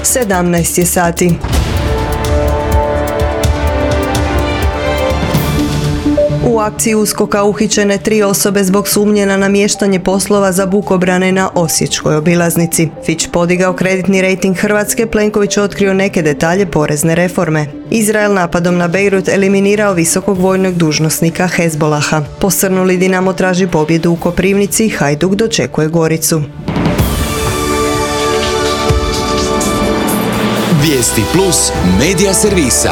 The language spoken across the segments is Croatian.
17 je sati. U akciji USKOK-a uhićene 3 osobe zbog sumnje na namještanje poslova za bukobrane na osječkoj obilaznici. Fitch podigao kreditni rejting Hrvatske, Plenković otkrio neke detalje porezne reforme. Izrael napadom na Bejrut eliminirao visokog vojnog dužnosnika Hezbolaha. Posrnuli Dinamo traži pobjedu u Koprivnici, Hajduk dočekuje Goricu. Vijesti plus medija servisa.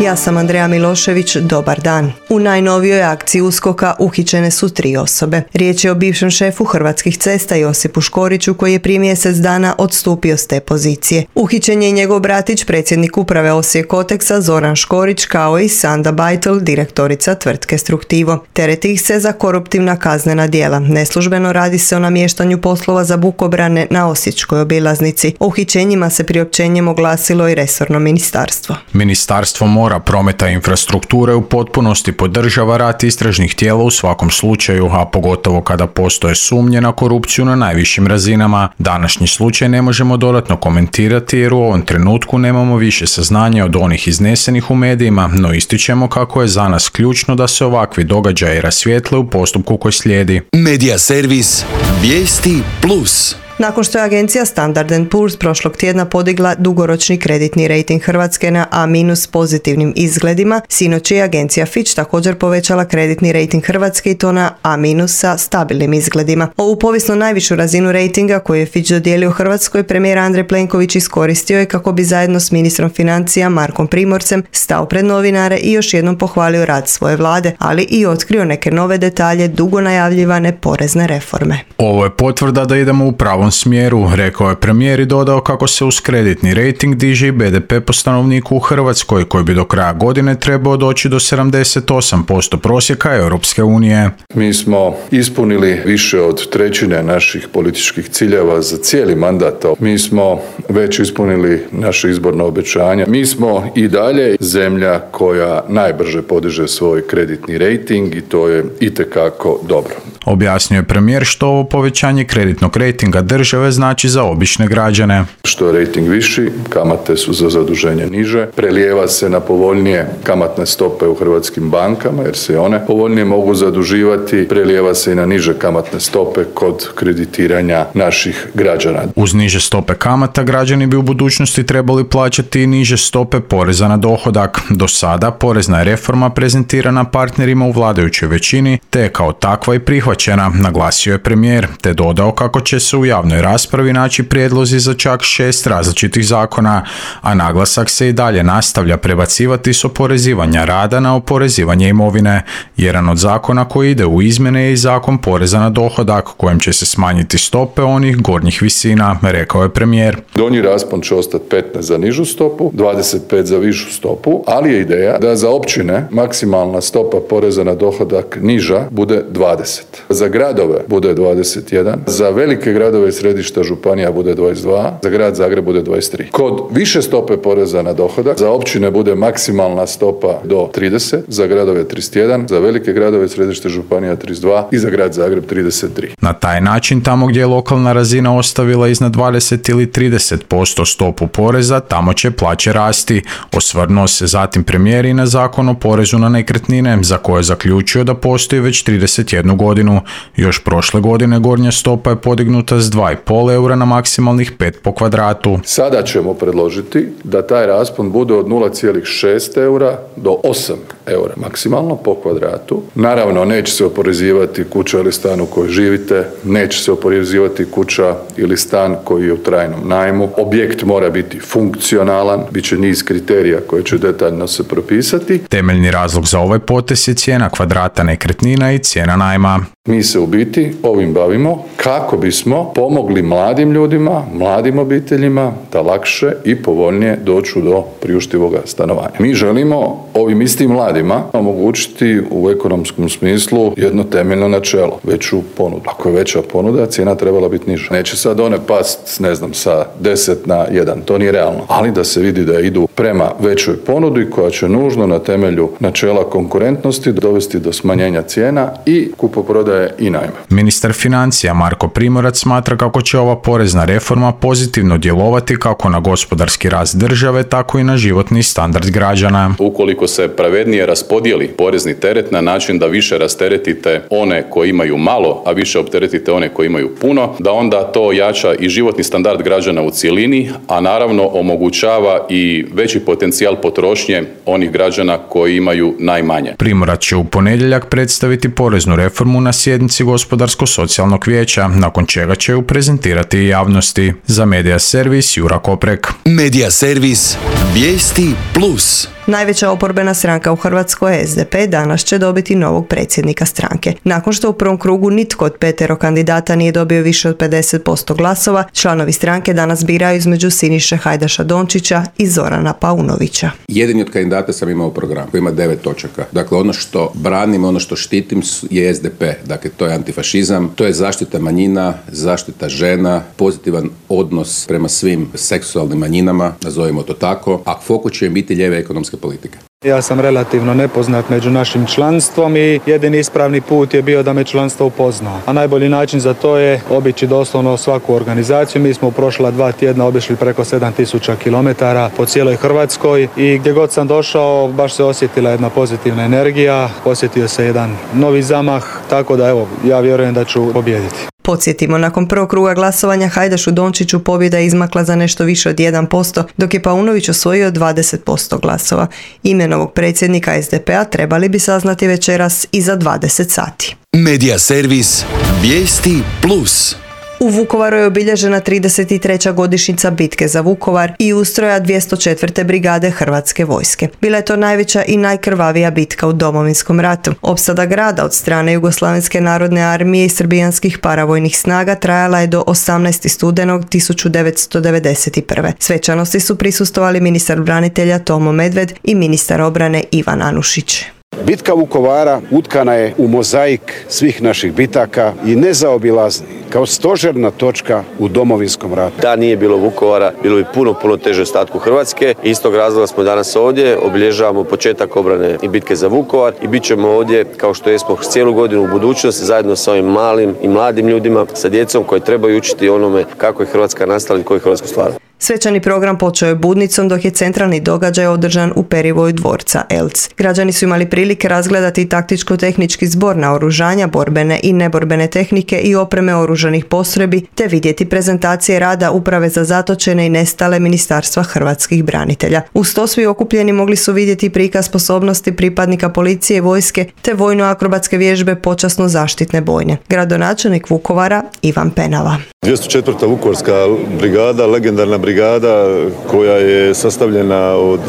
Ja sam Andreja Milošević, dobar dan. U najnovijoj akciji USKOK-a uhićene su 3 osobe. Riječ je o bivšem šefu Hrvatskih cesta Josipu Škoriću koji je prije mjesec dana odstupio s te pozicije. Uhićen je njegov bratić, predsjednik uprave Osijek Koteksa Zoran Škorić, kao i Sanda Bajtel, direktorica tvrtke Struktivo. Tereti ih se za koruptivna kaznena djela. Neslužbeno radi se o namještanju poslova za bukobrane na osječkoj obilaznici. O uhićenjima se priopćenjem oglasilo i resorno ministarstvo. Ministarstvo mora, prometa i infrastrukture u potpunosti podržava rad istražnih tijela u svakom slučaju, a pogotovo kada postoje sumnje na korupciju na najvišim razinama. Današnji slučaj ne možemo dodatno komentirati jer u ovom trenutku nemamo više saznanja od onih iznesenih u medijima, no ističemo kako je za nas ključno da se ovakvi događaji rasvijetle u postupku koji slijedi. Medija servis Vijesti plus. Nakon što je agencija Standard & Poor's prošlog tjedna podigla dugoročni kreditni rejting Hrvatske na A- s pozitivnim izgledima, sinoć je agencija Fitch također povećala kreditni rejting Hrvatske i to na A- sa stabilnim izgledima. Ovu povijesno najvišu razinu rejtinga koju je Fitch dodijelio Hrvatskoj, premijer Andrej Plenković iskoristio je kako bi zajedno s ministrom financija Markom Primorcem stao pred novinare i još jednom pohvalio rad svoje vlade, ali i otkrio neke nove detalje dugo najavljivane porezne reforme. Ovo je potvrda da idemo u pravom smjeru, rekao je premijer i dodao kako se uz kreditni rejting diže i BDP po stanovniku u Hrvatskoj, koji bi do kraja godine trebao doći do 78% prosjeka Europske unije. Mi smo ispunili više od trećine naših političkih ciljeva za cijeli mandat. Mi smo već ispunili naše izborno obećanje. Mi smo i dalje zemlja koja najbrže podiže svoj kreditni rejting i to je itekako dobro. Objasnio je premijer što ovo povećanje kreditnog rejtinga države znači za obične građane. Što je rejting viši, kamate su za zaduženje niže, prelijeva se na povoljnije kamatne stope u hrvatskim bankama jer se one povoljnije mogu zaduživati, prelijeva se i na niže kamatne stope kod kreditiranja naših građana. Uz niže stope kamata građani bi u budućnosti trebali plaćati i niže stope poreza na dohodak. Do sada porezna je reforma prezentirana partnerima u vladajućoj većini te je kao takva i prihvaćena, naglasio je premijer, te dodao kako će se u javnoj raspravi naći prijedlozi za čak 6 različitih zakona, a naglasak se i dalje nastavlja prebacivati s oporezivanja rada na oporezivanje imovine. Jedan od zakona koji ide u izmjene je i zakon poreza na dohodak, kojem će se smanjiti stope onih gornjih visina, rekao je premijer. Donji raspon će ostati 15 za nižu stopu, 25 za višu stopu, ali je ideja da za općine maksimalna stopa poreza na dohodak niža bude 20. Za gradove bude 21, za velike gradove i središta županija bude 22, za grad Zagreb bude 23. Kod više stope poreza na dohodak za općine bude maksimalna stopa do 30, za gradove 31, za velike gradove i središte županija 32 i za grad Zagreb 33. Na taj način, tamo gdje je lokalna razina ostavila iznad 20 ili 30% stopu poreza, tamo će plaće rasti. Osvrnuo se zatim premijer i na zakon o porezu na nekretnine, za koje je zaključio da postoji već 31 godinu. Još prošle godine gornja stopa je podignuta s 2,5 eura na maksimalnih 5 po kvadratu. Sada ćemo predložiti da taj raspon bude od 0,6 eura do 8 eura maksimalno po kvadratu. Naravno, neće se oporezivati kuća ili stan u kojoj živite, neće se oporezivati kuća ili stan koji je u trajnom najmu. Objekt mora biti funkcionalan, bit će niz kriterija koje će detaljno se propisati. Temeljni razlog za ovaj potez je cijena kvadrata nekretnina i cijena najma. Mi se u biti ovim bavimo kako bismo pomogli mladim ljudima, mladim obiteljima da lakše i povoljnije dođu do priuštivoga stanovanja. Mi želimo ovim istim mladima omogućiti u ekonomskom smislu jedno temeljno načelo, veću ponudu. Ako je veća ponuda, cijena trebala biti niža. Neće sad one past, sa 10 na 1, to nije realno, ali da se vidi da idu prema većoj ponudi koja će nužno na temelju načela konkurentnosti dovesti do smanjenja cijena i kupoprodaje i najma. Ministar financija Marko Marko Primorac smatra kako će ova porezna reforma pozitivno djelovati kako na gospodarski rast države, tako i na životni standard građana. Ukoliko se pravednije raspodijeli porezni teret na način da više rasteretite one koji imaju malo, a više opteretite one koji imaju puno, da onda to jača i životni standard građana u cjelini, a naravno omogućava i veći potencijal potrošnje onih građana koji imaju najmanje. Primorac će u ponedjeljak predstaviti poreznu reformu na sjednici Gospodarsko-socijalnog vijeća, nakon čega će ju prezentirati i javnosti. Za Medija servis Jura Koprek. Medija servis Vijesti plus. Najveća oporbena stranka u Hrvatskoj, SDP, danas će dobiti novog predsjednika stranke. Nakon što u prvom krugu nitko od 5 kandidata nije dobio više od 50% glasova, članovi stranke danas biraju između Siniše Hajdaša Dončića i Zorana Paunovića. Jedini od kandidata sam imao program koji ima 9 točaka. Dakle, ono što branim, ono što štitim je SDP. Dakle, to je antifašizam, to je zaštita manjina, zaštita žena, pozitivan odnos prema svim seksualnim manjinama, nazovimo to tako, a fokus će biti lijeve ekonomske politike. Ja sam relativno nepoznat među našim članstvom i jedini ispravni put je bio da me članstvo upozna. A najbolji način za to je obići doslovno svaku organizaciju. Mi smo u prošla 2 tjedna obišli preko 7000 km po cijeloj Hrvatskoj i gdje god sam došao baš se osjetila jedna pozitivna energija, osjetio se jedan novi zamah, tako da evo, ja vjerujem da ću pobijediti. Podsjetimo, nakon prvog kruga glasovanja Hajdašu Dončiću pobjeda je izmakla za nešto više od 1%, dok je Paunović osvojio 20% glasova. Ime novog predsjednika SDP-a trebali bi saznati večeras iza 20 sati. Medija servis Vijesti plus. U Vukovaru je obilježena 33. godišnjica bitke za Vukovar i ustroja 204. brigade Hrvatske vojske. Bila je to najveća i najkrvavija bitka u Domovinskom ratu. Opsada grada od strane Jugoslavenske narodne armije i srbijanskih paravojnih snaga trajala je do 18. studenog 1991. Svečanosti su prisustvovali ministar branitelja Tomo Medved i ministar obrane Ivan Anušić. Bitka Vukovara utkana je u mozaik svih naših bitaka i nezaobilazni kao stožerna točka u Domovinskom ratu. Da nije bilo Vukovara, bilo bi puno teže ostatku Hrvatske. Iz tog razloga smo danas ovdje, obilježavamo početak obrane i bitke za Vukovar i bit ćemo ovdje kao što jesmo cijelu godinu u budućnosti zajedno sa ovim malim i mladim ljudima, sa djecom koji trebaju učiti onome kako je Hrvatska nastala i koju je Hrvatsku stvarala. Svečani program počeo je budnicom, dok je centralni događaj održan u perivoju dvorca Elc. Građani su imali prilike razgledati taktičko-tehnički zbor naoružanja, borbene i neborbene tehnike i opreme oružanih postrojbi, te vidjeti prezentacije rada Uprave za zatočene i nestale Ministarstva hrvatskih branitelja. Uz to svi okupljeni mogli su vidjeti prikaz sposobnosti pripadnika policije i vojske, te vojno-akrobatske vježbe počasno zaštitne bojne. Gradonačelnik Vukovara Ivan Penava. 204. Vukovarska brigada, legendarna brigada koja je sastavljena od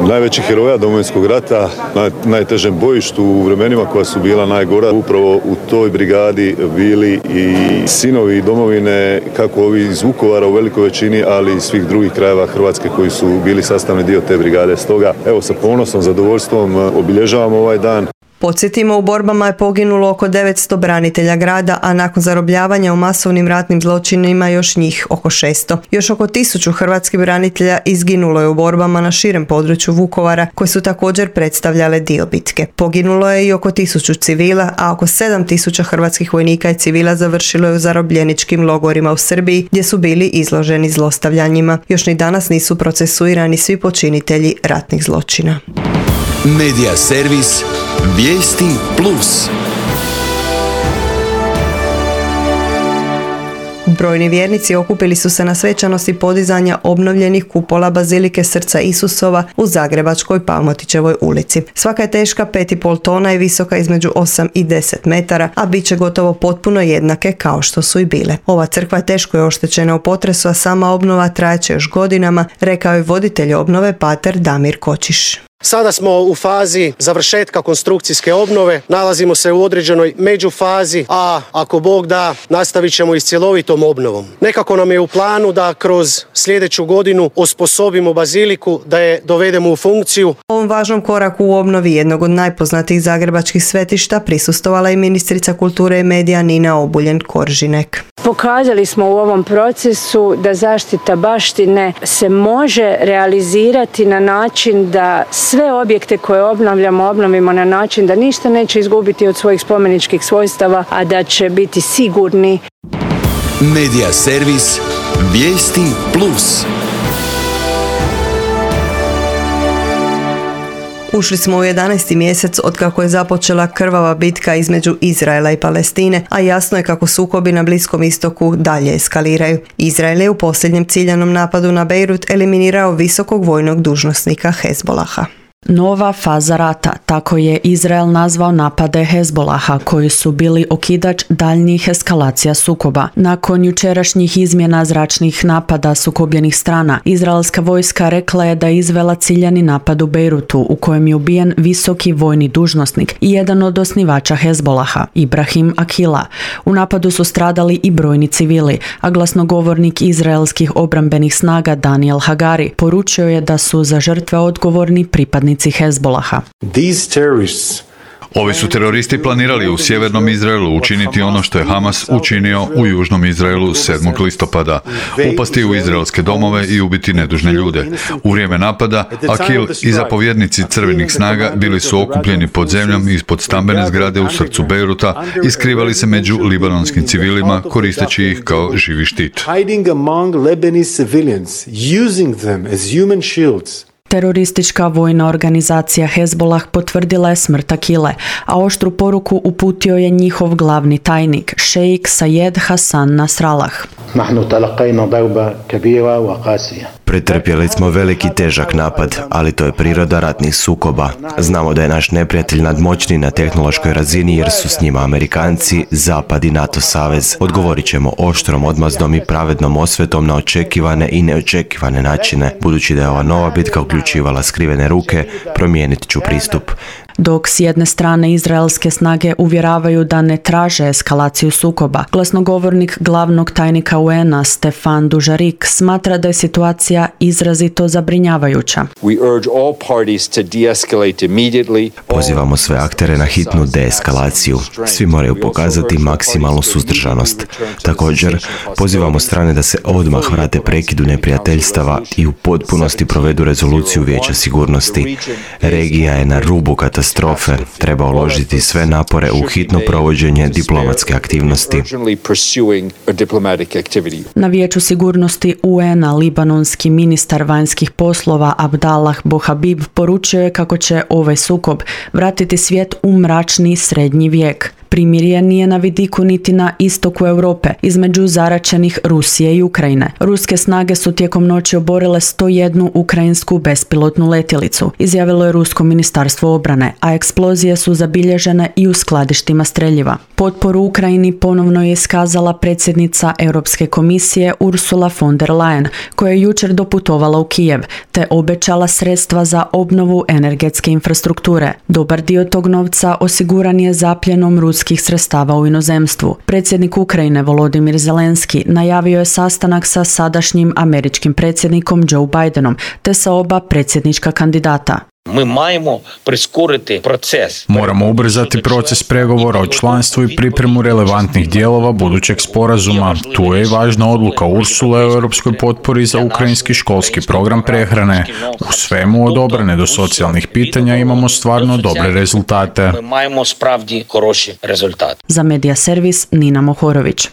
najvećih heroja Domovinskog rata na najtežem bojištu u vremenima koja su bila najgora. Upravo u toj brigadi bili i sinovi domovine, kako ovi iz Vukovara u velikoj većini, ali i svih drugih krajeva Hrvatske koji su bili sastavni dio te brigade. Stoga, evo, sa ponosom, zadovoljstvom obilježavamo ovaj dan. Podsjetimo, u borbama je poginulo oko 900 branitelja grada, a nakon zarobljavanja u masovnim ratnim zločinima još njih oko 600. Još oko 1000 hrvatskih branitelja izginulo je u borbama na širem području Vukovara, koje su također predstavljale dio bitke. Poginulo je i oko 1000 civila, a oko 7000 hrvatskih vojnika i civila završilo je u zarobljeničkim logorima u Srbiji, gdje su bili izloženi zlostavljanjima. Još ni danas nisu procesuirani svi počinitelji ratnih zločina. Medija servis Vijesti plus. Brojni vjernici okupili su se na svečanosti podizanja obnovljenih kupola Bazilike Srca Isusova u zagrebačkoj Palmotićevoj ulici. Svaka je teška 5,5 tona i visoka između 8 i 10 metara, a bit će gotovo potpuno jednake kao što su i bile. Ova crkva teško je oštećena u potresu, a sama obnova trajeće još godinama, rekao je voditelj obnove pater Damir Kočiš. Sada smo u fazi završetka konstrukcijske obnove, nalazimo se u određenoj međufazi, a ako Bog da, nastavit ćemo i s cjelovitom obnovom. Nekako nam je u planu da kroz sljedeću godinu osposobimo baziliku, da je dovedemo u funkciju. Ovom važnom koraku u obnovi jednog od najpoznatijih zagrebačkih svetišta prisustvovala i ministrica kulture i medija Nina Obuljen Koržinek. Pokazali smo u ovom procesu da zaštita baštine se može realizirati na način da sve objekte koje obnovimo na način da ništa neće izgubiti od svojih spomeničkih svojstava, a da će biti sigurni. Medija servis Vijesti Plus. Ušli smo u 11. mjesec otkako je započela krvava bitka između Izraela i Palestine, a jasno je kako sukobi na Bliskom istoku dalje eskaliraju. Izrael je u posljednjem ciljanom napadu na Bejrut eliminirao visokog vojnog dužnosnika Hezbolaha. Nova faza rata, tako je Izrael nazvao napade Hezbolaha, koji su bili okidač daljnjih eskalacija sukoba. Nakon jučerašnjih izmjena zračnih napada sukobljenih strana, izraelska vojska rekla je da je izvela ciljani napad u Bejrutu, u kojem je ubijen visoki vojni dužnosnik i jedan od osnivača Hezbolaha, Ibrahim Akila. U napadu su stradali i brojni civili, a glasnogovornik izraelskih obrambenih snaga Daniel Hagari poručio je da su za žrtve odgovorni pripadnici Hezbolaha. Ovi su teroristi planirali u sjevernom Izraelu učiniti ono što je Hamas učinio u južnom Izraelu 7. listopada. Upasti u izraelske domove i ubiti nedužne ljude. U vrijeme napada, Akil i zapovjednici crvenih snaga bili su okupljeni pod zemljom ispod stambene zgrade u srcu Bejruta i skrivali se među libanonskim civilima koristeći ih kao živi štit. Teroristička vojna organizacija Hezbolah potvrdila je smrt Akile, a oštru poruku uputio je njihov glavni tajnik, šejik Sayed Hassan Nasrallah. Pretrpjeli smo veliki težak napad, ali to je priroda ratnih sukoba. Znamo da je naš neprijatelj nadmoćniji na tehnološkoj razini jer su s njima Amerikanci, Zapad i NATO savez. Odgovorit ćemo oštrom odmazdom i pravednom osvetom na očekivane i neočekivane načine. Budući da je ova nova bitka uključivala skrivene ruke, promijenit ću pristup. Dok s jedne strane izraelske snage uvjeravaju da ne traže eskalaciju sukoba, glasnogovornik glavnog tajnika UN-a Stefan Dujarric smatra da je situacija izrazito zabrinjavajuća. Pozivamo sve aktere na hitnu deeskalaciju. Svi moraju pokazati maksimalnu suzdržanost. Također, pozivamo strane da se odmah vrate prekidu neprijateljstava i u potpunosti provedu rezoluciju Vijeća sigurnosti. Regija je na rubu katastrofe. Treba uložiti sve napore u hitno provođenje diplomatske aktivnosti. Na Vijeću sigurnosti UN-a libanonski ministar vanjskih poslova Abdallah Bohabib poručio je kako će ovaj sukob vratiti svijet u mračni srednji vijek. Primirje nije na vidiku niti na istoku Europe, između zaraćenih Rusije i Ukrajine. Ruske snage su tijekom noći oborile 101 ukrajinsku bespilotnu letjelicu, izjavilo je Rusko ministarstvo obrane, a eksplozije su zabilježene i u skladištima streljiva. Potporu Ukrajini ponovno je iskazala predsjednica Europske komisije Ursula von der Leyen, koja je jučer doputovala u Kijev, te obećala sredstva za obnovu energetske infrastrukture. Dobar dio tog novca osiguran je zapljenom ruskih sredstava u inozemstvu. Predsjednik Ukrajine Volodymyr Zelenski najavio je sastanak sa sadašnjim američkim predsjednikom Joe Bidenom te sa oba predsjednička kandidata. Moramo ubrzati proces pregovora o članstvu i pripremu relevantnih dijelova budućeg sporazuma. Tu je i važna odluka Ursule o europskoj potpori za ukrajinski školski program prehrane. U svemu od obrane do socijalnih pitanja imamo stvarno dobre rezultate. Za Medija servis Nina Mohorović.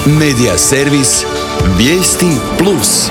Medija servis Vijesti Plus.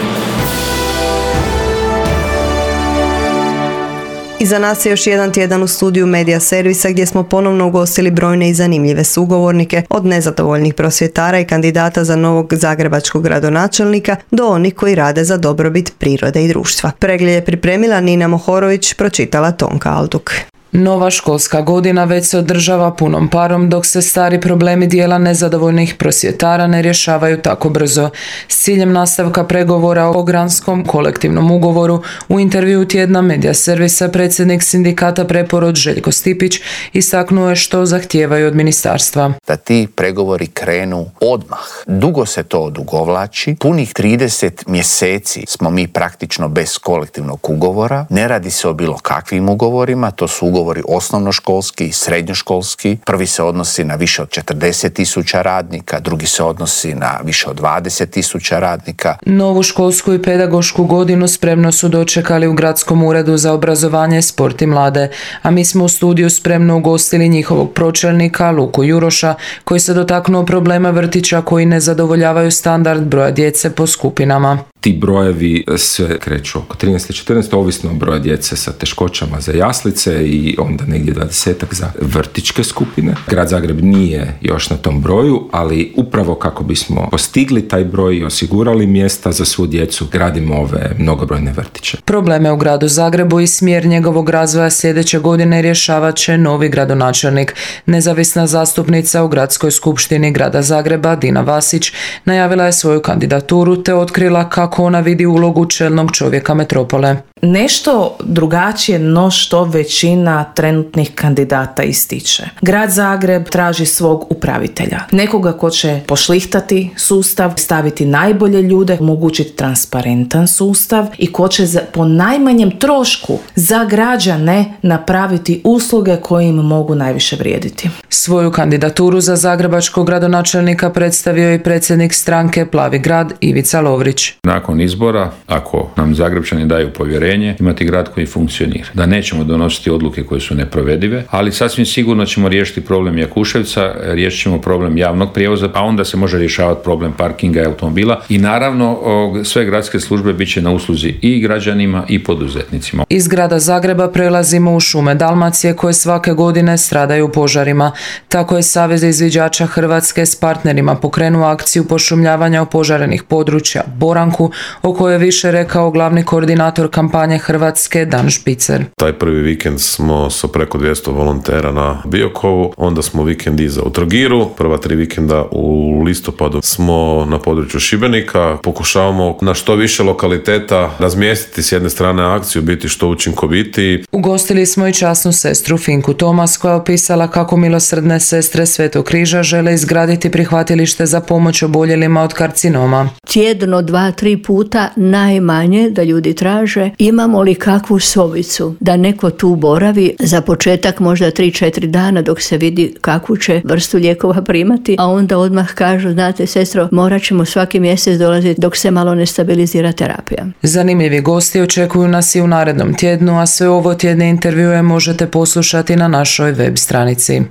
Iza nas je još jedan tjedan u studiju Medija servisa gdje smo ponovno ugostili brojne i zanimljive sugovornike, od nezadovoljnih prosvjetara i kandidata za novog zagrebačkog gradonačelnika do onih koji rade za dobrobit prirode i društva. Pregled je pripremila Nina Mohorović, pročitala Tonka Alduk. Nova školska godina već se održava punom parom, dok se stari problemi dijela nezadovoljnih prosvjetara ne rješavaju tako brzo. S ciljem nastavka pregovora o granskom kolektivnom ugovoru, u intervju tjedna Medija servisa predsjednik sindikata Preporod Željko Stipić istaknuo je što zahtijevaju od ministarstva. Da ti pregovori krenu odmah. Dugo se to odugovlači, punih 30 mjeseci smo mi praktično bez kolektivnog ugovora. Ne radi se o bilo kakvim ugovorima, to su ugovori ugovori osnovnoškolski i srednjoškolski. Prvi se odnosi na više od 40.000 radnika, drugi se odnosi na više od 20.000 radnika. Novu školsku i pedagošku godinu spremno su dočekali u Gradskom uredu za obrazovanje, sport i mlade, a mi smo u studiju spremno ugostili njihovog pročelnika Luku Juroša, koji se dotaknuo problema vrtića koji ne zadovoljavaju standard broja djece po skupinama. Ti brojevi se kreću oko 13-14, ovisno o broja djece sa teškoćama za jaslice i onda negdje 20-ak za vrtićke skupine. Grad Zagreb nije još na tom broju, ali upravo kako bismo postigli taj broj i osigurali mjesta za svu djecu, gradimo ove mnogobrojne vrtiće. Probleme u gradu Zagrebu i smjer njegovog razvoja sljedeće godine rješavat će novi gradonačelnik. Nezavisna zastupnica u Gradskoj skupštini grada Zagreba, Dina Vasić, najavila je svoju kandidaturu te otkrila kako ona vidi ulogu čelnog čovjeka metropole. Nešto drugačije no što većina trenutnih kandidata ističe. Grad Zagreb traži svog upravitelja. Nekoga ko će pošlihtati sustav, staviti najbolje ljude, omogućiti transparentan sustav i ko će po najmanjem trošku za građane napraviti usluge koje im mogu najviše vrijediti. Svoju kandidaturu za zagrebačkog gradonačelnika predstavio i predsjednik stranke Plavi grad Ivica Lovrić. Nakon izbora, ako nam Zagrebčani daju povjerenje, imati grad koji funkcionira. Da nećemo donositi odluke koje su neprovedive, ali sasvim sigurno ćemo riješiti problem Jakuševca, riješit ćemo problem javnog prijevoza, a onda se može rješavati problem parkinga i automobila i naravno sve gradske službe bit će na usluzi i građanima i poduzetnicima. Iz grada Zagreba prelazimo u šume Dalmacije koje svake godine stradaju u požarima. Tako je Savez izviđača Hrvatske s partnerima pokrenuo akciju pošumljavanja opožarenih područja Boranku, o kojoj je više rekao glavni koordinator kampanje Hrvatske Dan Špicer. Taj prvi vikend smo sa preko 200 volontera na Biokovu, onda smo vikend iza u Trogiru, prva 3 vikenda u listopadu smo na području Šibenika, pokušavamo na što više lokaliteta razmjestiti s jedne strane akciju, biti što učinkovitiji. Ugostili smo i časnu sestru Finku Tomas koja je opisala kako milosrdne sestre Svetog križa žele izgraditi prihvatilište za pomoć oboljelima od karcinoma. Tjedno 2-3 puta najmanje da ljudi traže imamo li kakvu sobicu da neko tu boravi za početak možda 3-4 dana dok se vidi kakvu će vrstu lijekova primati, a onda odmah kažu, znate sestro, morat ćemo svaki mjesec dolaziti dok se malo ne stabilizira terapija. Zanimljivi gosti očekuju nas i u narednom tjednu, a sve ovo tjedne intervjue možete poslušati na našoj web stranici.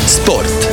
Sport.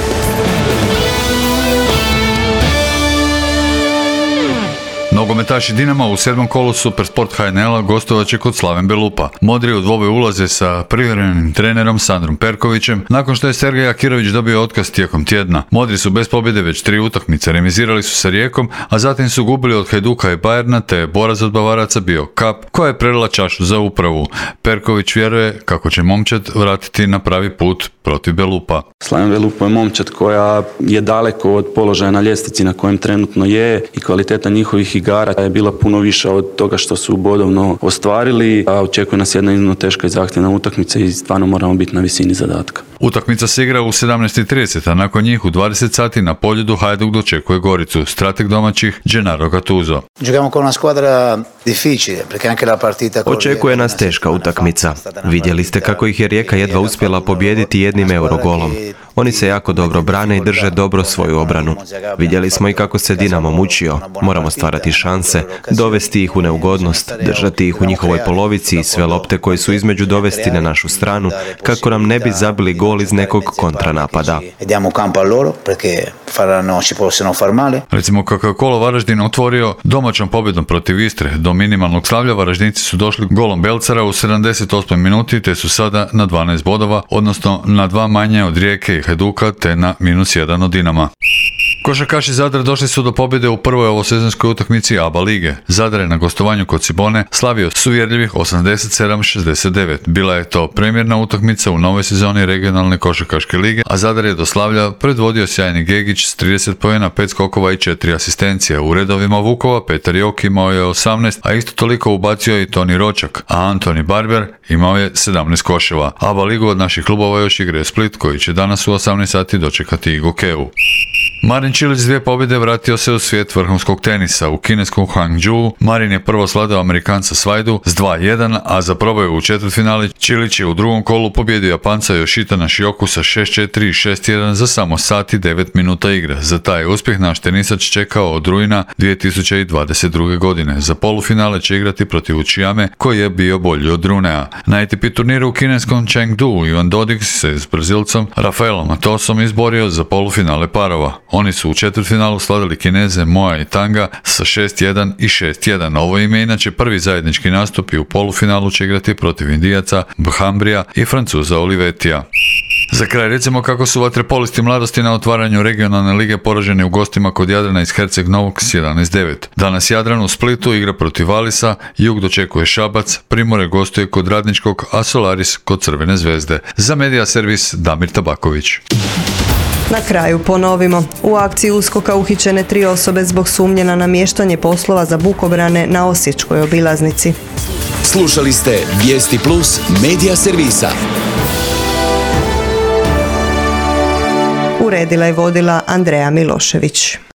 Nogometaši Dinama u 7. kolu Supersport HNL-a gostovat će kod Slaven Belupa. Modri u dvoboj ulaze sa privremenim trenerom Sandrom Perkovićem nakon što je Sergej Akirović dobio otkaz tijekom tjedna. Modri su bez pobjede već 3 utakmice, remizirali su sa Rijekom, a zatim su gubili od Hajduka i Bayerna, te je borac od Bavaraca bio Kap, koja je prelila čašu za upravu. Perković vjeruje kako će momčad vratiti na pravi put protiv Belupa. Slaven Belupa je momčad koja je daleko od položaja na ljestvici na kojem trenutno je i kvaliteta njihovih igara je bila puno više od toga što su bodovno ostvarili, a očekuje nas jedna iznimno teška i zahtjevna utakmica i stvarno moramo biti na visini zadatka. Utakmica se igra u 17:30, a nakon njih u 20 sati na Poljudu Hajduk dočekuje Goricu. Strateg domaćih Gennaro Gattuso. Očekuje nas teška utakmica. Vidjeli ste kako ih je Rijeka jedva uspjela pobijediti jednim Eurogolom. Oni se jako dobro brane i drže dobro svoju obranu. Vidjeli smo i kako se Dinamo mučio. Moramo stvarati šanse, dovesti ih u neugodnost, držati ih u njihovoj polovici i sve lopte koje su između dovesti na našu stranu, kako nam ne bi zabili gol iz nekog kontranapada. Recimo kako je kolo Varaždin otvorio domaćom pobjedom protiv Istre. Do minimalnog slavlja Varaždinci su došli golom Belcara u 78. minuti, te su sada na 12 bodova, odnosno na 2 manje od Rijeke i Hajduka, te na -1 od Dinama. Košarkaši Zadra došli su do pobjede u prvoj ovosezonskoj utakmici ABA lige. Zadar je na gostovanju kod Cibone slavio s uvjerljivih 87-69. Bila je to premjerna utakmica u novoj sezoni regionalne košarkaške lige, a Zadar je do slavlja predvodio sjajni Gegić s 30 poena, 5 skokova i 4 asistencije. U redovima Vukova Petar Jok imao je 18, a isto toliko ubacio i Toni Ročak, a Antoni Barber imao je 17 koševa. ABA ligu od naših klubova još igra Split, koji će danas u 18 sati dočekati i Gokevu. Marin Marin Čilić s 2 pobjede vratio se u svijet vrhunskog tenisa. U kineskom Hangzhou Marin je prvo sladao Amerikanca Svajdu s 2-1, a za probaju u četvrtfinali Čilić je u drugom kolu pobjedio Japanca Yoshita Nishioku sa 6-4 i 6-1 za samo sat i 9 minuta igre. Za taj uspjeh naš tenisač čekao od rujna 2022. godine. Za polufinale će igrati protiv Uchijame koji je bio bolji od Runea. Na ATP turniru u kineskom Chengdu Ivan Dodig se s Brazilcom Rafaelom Matosom izborio za polufinale parova. Oni su u četvrtfinalu slavili Kineze Moa i Tanga sa 6-1 i 6-1. Ovo ime inače prvi zajednički nastup i u polufinalu će igrati protiv Indijaca Bhambrija i Francuza Olivetija. Za kraj recimo kako su vatrepolisti mladosti na otvaranju regionalne lige poraženi u gostima kod Jadrana iz Herceg Novog s 11-9. Danas Jadran u Splitu igra protiv Valisa, Jug dočekuje Šabac, Primorje gostuje kod Radničkog, a Solaris kod Crvene zvezde. Za Medija servis Damir Tabaković. Na kraju ponovimo. U akciji USKOK-a uhićene 3 osobe zbog sumnje na namještanje poslova za bukobrane na Osječkoj obilaznici. Slušali ste Vijesti Plus Medija servisa. Uredila i vodila Andreja Milošević.